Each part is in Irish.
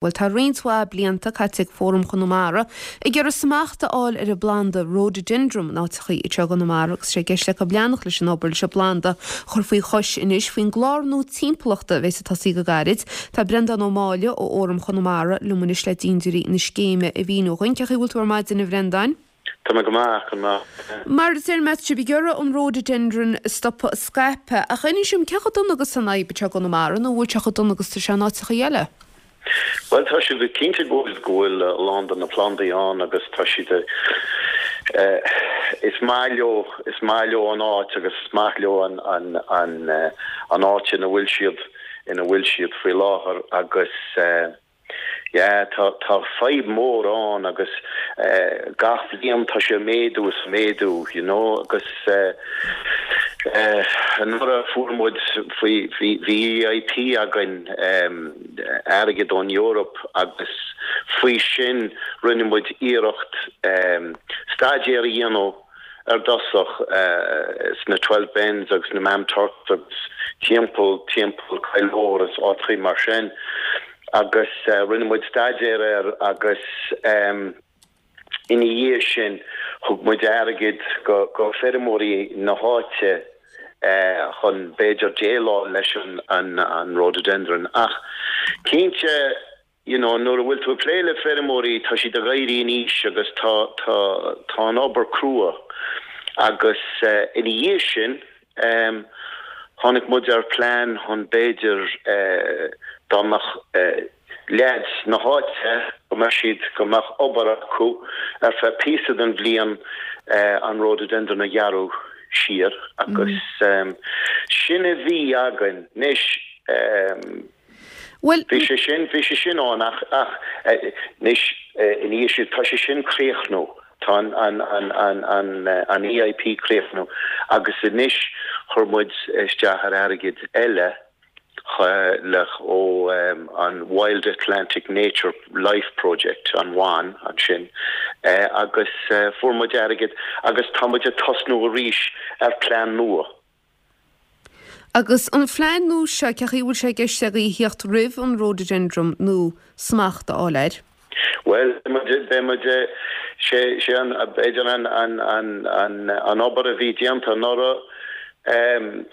Bhuel, tá roinnt mhaith blianta caite ag Fóram Chonamara ag iarraidh smacht a fháil ar an bplanda Rhododendron in áiteachaí anseo i gConamara agus sé i gceist acu leanacht leis an obair leis an bplanda a chur faoi chois anois faoin gclár nua timpeallachta a bheas ag tosaí go gairid. Tá Breandán Ó Máille ó Fhóram Chonamara liom anois le dintiúirí na scéime a mhíniú dhuinn. Cén chaoi a bhfuil tú ar maidin a Bhreandáin? Tá mé go maith, go maith. Mar a deir mé, tá sibh ag iarraidh an Rhododendron a stopadh ag scaipeadh, ach inis dom cé chomh dona agus an fhadhb anseo i gConamara nó an bhfuil sé chomh dona agus tá sé in áiteachaí eile? Bhuel, tá siad cinnte go bhfuil, go bhfuil a lán de na plandaí ann agus tá siad eh, is maith leo, is maith leo an áit agus is maith leo an, an, an, an áit ina bhfuil siad, ina bhfuil siad faoi láthair agus eh, yeah, tá, tá fadhb mór ann agus eh, gach bhliain tá sé ag méadú is ag méadú, you know, agus eh, eh, anuraidh fuair muid faoi, bhí, bhí EIP againn eh, airgead ón Eoraip agus faoi sin rinne muid iarracht staidéar a dhéanamh ar dtosach sna Twelve Bens agus na Maamturks agus timpeall timpeall Coill Mhór is áiteachaí mar sin agus rinne muid staidéar air agus Ina dhiaidh sin, thug muid airgead go feirmeoirí na háite chun b'fhéidir déileáil leis an rhododendron. Ach cinnte, you know, nuair a bhfuil tú ag plé le feirmeoirí, tá siad ag éirí in aois agus tá, tá, tá an obair crua. Agus ina dhiaidh sin, tháinig muid ar plean chun b'fhéidir dá mbeadh, leaids na háite go mbeadh siad, go mbeadh obair acu ar feadh píosa den bhliain an rhododendron a ghearradh siar agus sin a bhí againn. Anois bhí sé sin, bhí sé sin ann ach, ach anois ina dhiaidh sin tá sé sin críochnú, tá an, an, an, an, an, an EIP críochnú agus anois chuir muid isteach ar airgead eile le ó an Wild Atlantic Nature Life Project, an WAN, ansin, agus fuair muid airgead agus tá muid ag tosnú arís ar plean nua. Agus an phlean nua seo, cén chaoi a bhfuil sé i gceist agaibh a theacht roimh an rhododendron nó smacht a fháil air? Bhuel, beidh muid, sé, sé an, b'fhéidir an, an, an, an, an obair a bhí déanta anuraidh,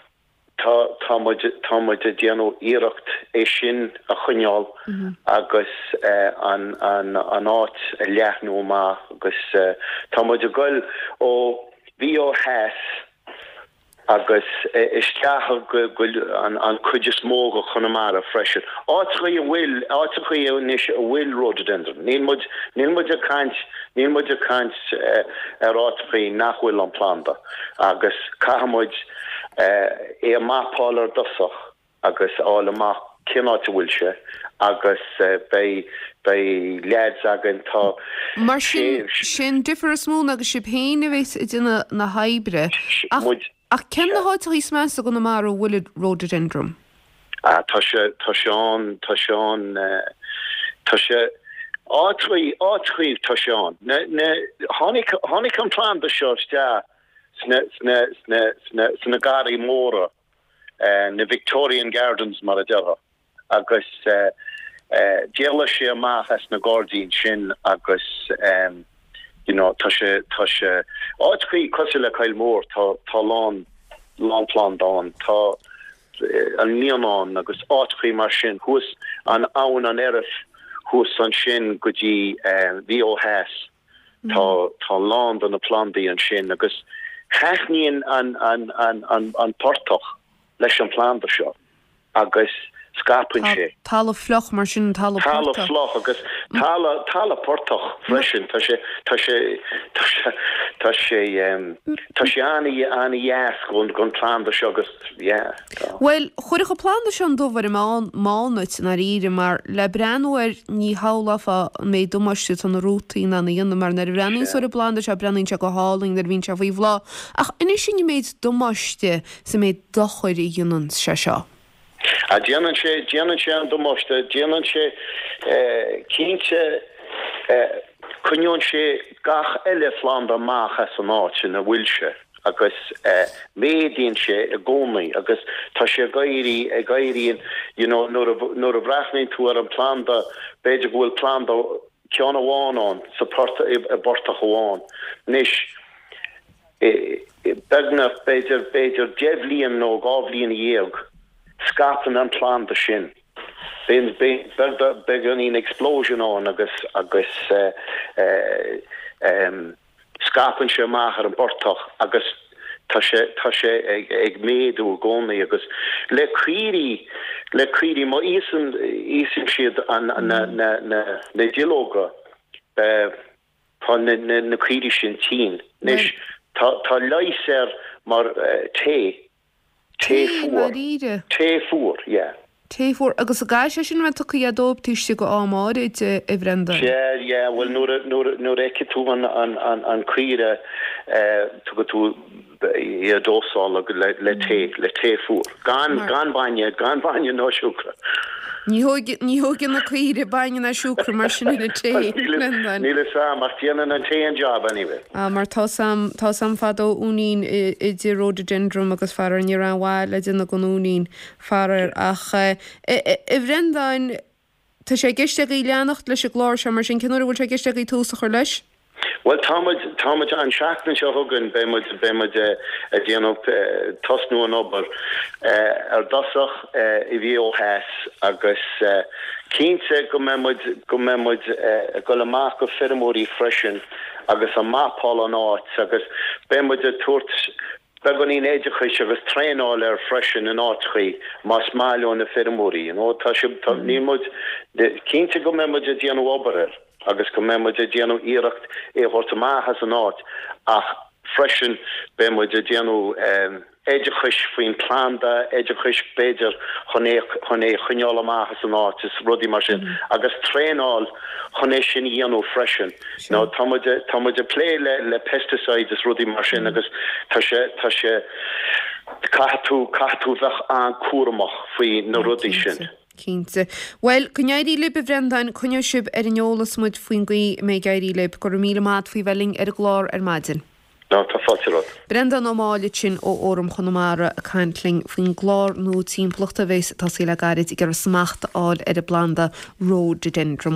Tá, tá muid, tá muid ag déanamh iarracht é sin a choinneáil agus an, an, an áit a leathnú amach agus tá muid ag goil ó, bhí ó theas agus isteach go, go an, an cuid is mó de Chonamara freisin. Áiteachaí a bhfuil, áiteachaí anois a bhfuil rhododendron. Níl muid, níl muid ag caint, níl muid ag caint ar áiteachaí nach bhfuil an planda agus caithfidh muid, é a mapáil ar dtosach agus a fháil amach cén áit a bhfuil sé agus beidh, beidh leaids againn, tá Mar sin, sé an difear is mó ná gur sibh féin a bheas ag déanamh na hoibre. Ach, ach cén na háiteachaí is measa i gConamara a bhfuil an rhododendron? Ah, tá sé, tá sé ann, tá sé ann, tá sé, áiteachaí, áiteachaí tá sé ann. Na, na, tháinig, tháinig an planda seo isteach sna, sna, sna, sna, sna garraí móra, na Victorian Gardens mar a déarfá, agus d'éalaigh sé amach as na gairdíní sin agus you know tá sé, tá sé, áiteachaí cosúil le Coill Mhór, tá, tá lán, lán planda ann, tá an Líonán agus áiteachaí mar sin, thuas an abhainn an Oirthear thuas ansin go dtí, bhí ó theas. Tá tá a lán de na plandaí ansin agus thaitníonn an an an an an portach leis an phlanda seo agus scaipeann sé. Talamh fliuch mar sin, talamh portach. Talamh fliuch agus talamh talamh portach freisin. Tá sé tá sé tá sé tá sé tá sé an-dheas gon gon planda seo agus yeah tá. Bhuel, chuirfeadh an planda seo an dubh ar an mBánaid, i ndáiríre, mar le breathnú air ní shamhlófá an méid damáiste atá na rútaí in ann a dhéanamh, mar nuair a bhreathnaíonn tú ar an bplanda seo, breathnaíonn sé go hálainn nuair a bhíonn sé faoi bhláth. Ach inis dúinn an méid damáiste is an méid dochair a dhéanann sé seo. Ah, déanann sé, déanann sé an damáiste, déanann sé, cinnte, coinneoidh sé gach eile phlanda amach as an áit ina bhfuil sé. Agus méadaíonn sé i gcónaí agus tá sé ag éirí, ag éirí you know nuair a, nuair a bhreathnaíonn tú ar an planda, b'fhéidir go bhfuil planda, ceann amháin ann sa phort, i bportach amháin. Anois, beagnach, b'fhéidir, b'fhéidir deich bhliain nó dhá bhliain dhéag, scaipeann an planda sin. Bíonn, bíonn beagáinín explosion ann agus, agus eh, em, Scaipeann sé amach ar an bportach agus tá sé, tá sé ag, ag méadú i gcónaí agus le caoirigh, le caoirigh, má íosann, íosann siad an, na, na, na, na duilleoga, tá na, na, na caoirigh sin tinn. Anois, tá, tá leigheas air mar tae. Tae fuar. Tae, Tae fuar, yeah. Tae fuar. Agus an gcaithfidh sé sin a bheith tugtha dóibh taobh istigh de am áirid, a Bhrendáin? Sea, yeah, bhuel nuair a, nuair a, nuair a fheicfidh tú an, an, an, an caoire, eh, tugann tú é a dósáil le, le tae, le tae fuar. Gan, gan bainne, gan bainne ná siúcra. Ní thóg, ní thógann na caoirigh bainne ná siúcra mar sin ina tae, Brendan. Níl 'fhios a'm, ach déanann an tae an job anyway. Ah, mar tá's a'm, tá's a'm fadó uainín idir rhododendron agus faraor ní raibh aon mhaith le déanamh den uainín, faraor. Ach, eh, a Bhrendáin, tá sé i gceist agaibh leanacht leis an gclár seo mar sin, cén uair a bhfuil sé i gceist agaibh tús a chur leis? Bhuel, tá muid, tá muid, an seachtain seo chugainn beidh muid, beidh muid ag déanamh, tosnú an obair ar dtosach i Mhaigh Eo Theas agus cinnte go mbeidh muid, go mbeidh muid ag dul amach go feirmeoirí freisin agus ag mapáil an áit agus beidh muid ag tabhairt beagáinín oideachais agus traenáil air freisin in áiteachaí más maith leo na feirmeoirí, you know, tá sé, tá, níl muid, cinnte go mbeidh muid ag déanamh obair air. agus go mbeidh muid ag déanamh iarracht é a thabhairt amach as an áit ach freisin beidh muid ag déanamh oideachais faoin planda, oideachais b'fhéidir chun é chun é a choinneáil amach as an áit is rudaí mar sin agus traenáil chun é sin a dhéanamh freisin. Now tá muid tá muid ag plé le le pesticides is rudaí mar sin agus tá sé tá sé caithfidh tú caithfidh tú bheith an-cúramach faoi na rudaí sin. Cinnte. Bhuel, go n-éirí libh, a Bhrendáin, coinneoidh sibh ar an eolas muid faoin gcaoi a mbeidh ag éirí libh. Go raibh míle maith a't faoi bheith linn ar an gclár ar maidin. Ná tá fáilte romhat. Breandán Ó Máille ansin ó Fhóram Chonamara ag caint linn faoin gclár nua timpeallachta a bhéas ag tosaí le gairid ag iarraidh smacht a fháil ar an bplanda Rhododendron.